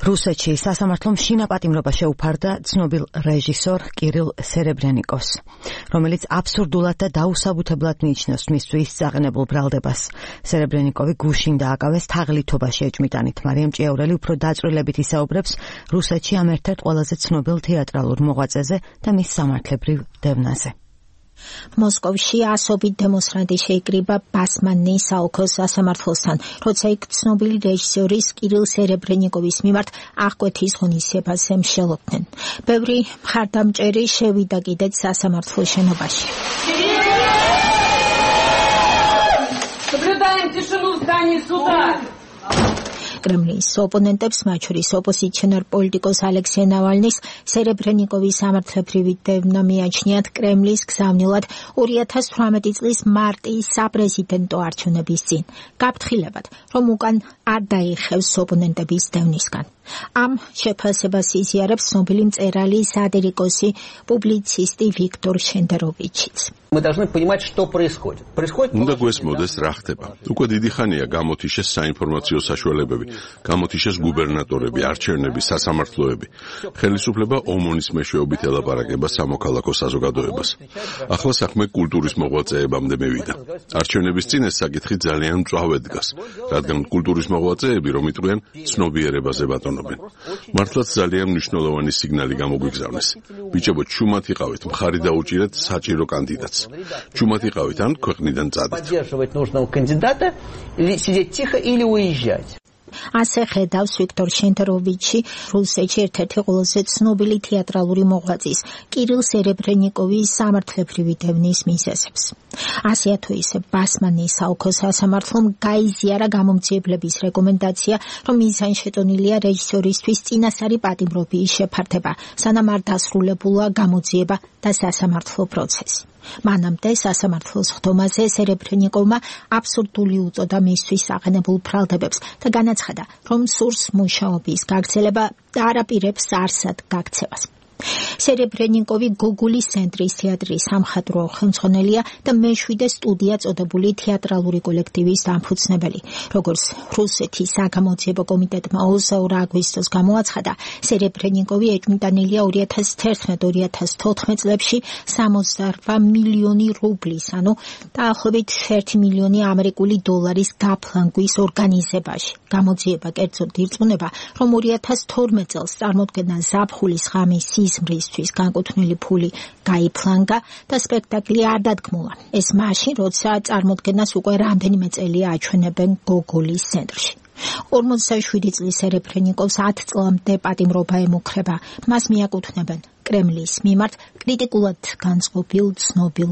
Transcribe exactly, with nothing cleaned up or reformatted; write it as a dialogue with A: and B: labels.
A: რუსეთში სასამართლომ შინაპატიმრობა შეუფარდა ცნობილ რეჟისორ კირილ სერებრენიკოვს, რომელიც აბსურდულად და დაუსაბუთებლად მიიჩნევს მისთვის წაყენებულ ბრალდებას. სერებრენიკოვი გუშინ დააკავეს თაღლითობაში ეჭვმიტანით. მარიამ ჭიაურელი უფრო დაწვრილებით ისაუბრებს რუსეთში ამ ერთ-ერთ ყველაზე ცნობილ თეატრალურ მოღვაწეზე და მის სამართლებრივ დევნაზე.
B: მოსკოვში ასობით დემონსტრანტი შეიკრიბა ბასმანნის საოლქო სასამართლოსთან, როცა იქ ცნობილი რეჟისორის კირილ სერებრენიკოვის მიმართ აღკვეთის ღონისძიებაზე მსჯელობდნენ. ბევრი მხარდამჭერი შევიდა კიდეც სასამართლოს შენობაში.
C: Соблюдаем тишину в здании суда.
B: კრემლის ოპონენტებს, მათ შორის ოპოზიციონერ პოლიტიკოს ალექსეი ნავალნის, სერებრენიკოვის სამართლებრივი დევნა მიაჩნიათ კრემლის გზავნილად ორი ათას თვრამეტი წლის მარტის საპრეზიდენტო არჩევნების წინ. გაფრთხილებად, რომ უკან არ დაიხევს ოპონენტების დევნისგან. ამ შეფასებას იზიარებს ცნობილი მწერალი, სატირიკოსი, პუბლიცისტი ვიქტორ შენდეროვიჩიც.
D: Мы должны понимать, что происходит. Происходит...
E: უნდა გვესმოდეს რა ხდება. უკვე დიდი ხანია გამოთიშეს საინფორმაციო საშუალებები, გამოთიშეს გუბერნატორები, არჩევნები, სასამართლოები. ხელისუფლება ომონის მეშვეობით ელაპარაკება სამოქალაქო საზოგადოებას. ახლა საქმე კულტურის მოღვაწეებამდე მივიდა. არჩევნების წინ ეს საკითხი ძალიან მწვავედ დგას, რადგან კულტურის მოღვაწეები რომ იტყვიან ცნობიერებაზე ბატონობენ. მართლაც ძალიან მნიშვნელოვანი სიგნალი გამოგვიგზავნეს. ბიჭებო, ჩუმად იყავით, მხარი დაუჭირეთ საჭირო კანდიდატს. Чумат იყავით ან ქვეყნიდან წადით.
D: Поддерживать нужного кандидата, или сидеть тихо, или уезжать.
B: ასე ხედავს ვიქტორ შენდეროვიჩი, რუსეთში ერთ-ერთი ყველაზე ცნობილი თეატრალური მოღვაწის, კირილ სერებრენიკოვის სამართლებრივი დევნის მიზეზებს. ასეა თუ ისე ბასმანის საოლქო სასამართლომ გაიზიარა გამომძიებლების რეკომენდაცია, რომ მიზანშეტონილია რეჟისორისთვის წინასწარი პატიმრობის შეფარდება, სანამ არ დასრულებულა გამოძიება და სასამართლო პროცესი. მანამდე სასამართლოს ხდომაზე სერებრენიკოვმა აბსურდული უწოდა მისთვის აყენებულ ბრალდებებს და განაცხადა, რომ სურს მუშაობის გაგრძელება და არაპირებს არსად გაქცევას. სერებრენიკოვი გოგოლის ცენტრის თეატრის სამხატვრო ხელმძღვანელია და მეშვიდე სტუდია წოდებული თეატრალური კოლექტივის დამფუძნებელი. როგორც რუსეთის საგამოძიებო კომიტეტმა ოცდაორი აგვისტოს გამოაცხადა, სერებრენიკოვი ეჭვმიტანილია ორი ათას თერთმეტ ორი ათას თოთხმეტ წლებში სამოცდაორ მილიონი რუბლის, ანუ დაახლოებით ერთი მილიონი ამერიკული დოლარის გაფლანგვის ორგანიზებაში. გამოძიება კერძოდ ირწმუნება, რომ ორი ათას თორმეტ წელს წარმოდგენა ზაფხულის ღამის სიზმრისთვის განკუთვნილი ფული გაიფლანგა და სპექტაკლი არ დადგმულა. ეს მაშინ, როცა წარმოდგენას უკვე რამდენიმე წელია აჩვენებენ გოგოლის ცენტრში. ორმოცდაშვიდი წლის სერებრენიკოვს ათი წლამდე პატიმრობა ემუქრება. მას მიაკუთვნებენ კრემლის მიმართ კრიტიკულად განწყობილ ცნობილ